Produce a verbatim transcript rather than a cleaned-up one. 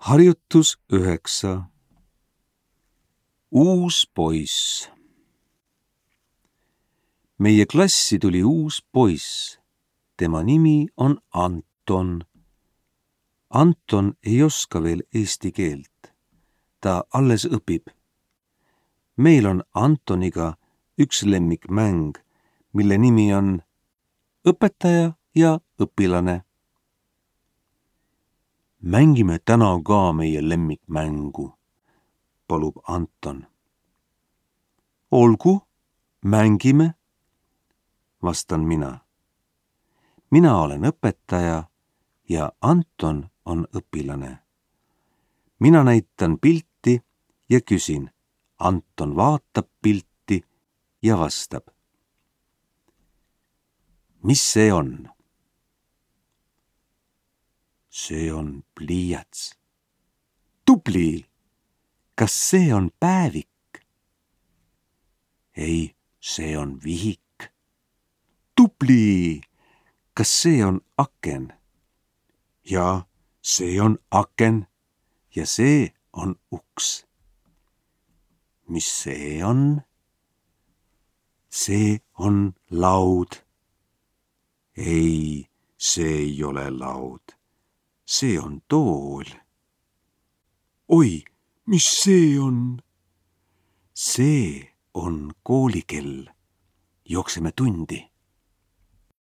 Harjutus üheksa. Uus poiss. Meie klassi tuli uus poiss. Tema nimi on Anton. Anton ei oska veel eesti keelt. Ta alles õpib. Meil on Antoniga üks lemmikmäng, mille nimi on õpetaja ja õpilane. Mängime täna ka meie lemmikmängu, palub Anton. Olgu, mängime, vastan mina. Mina olen õpetaja ja Anton on õpilane. Mina näitan pilti ja küsin. Anton vaatab pilti ja vastab. Mis see on? See on pliiats. Tubli! Kas see on päevik? Ei, see on vihik. Tubli! Kas see on aken? Ja, see on aken ja see on uks. Mis see on? See on laud. Ei, see ei ole laud. See on tool. Oi, mis see on? See on koolikell. Jookseme tundi.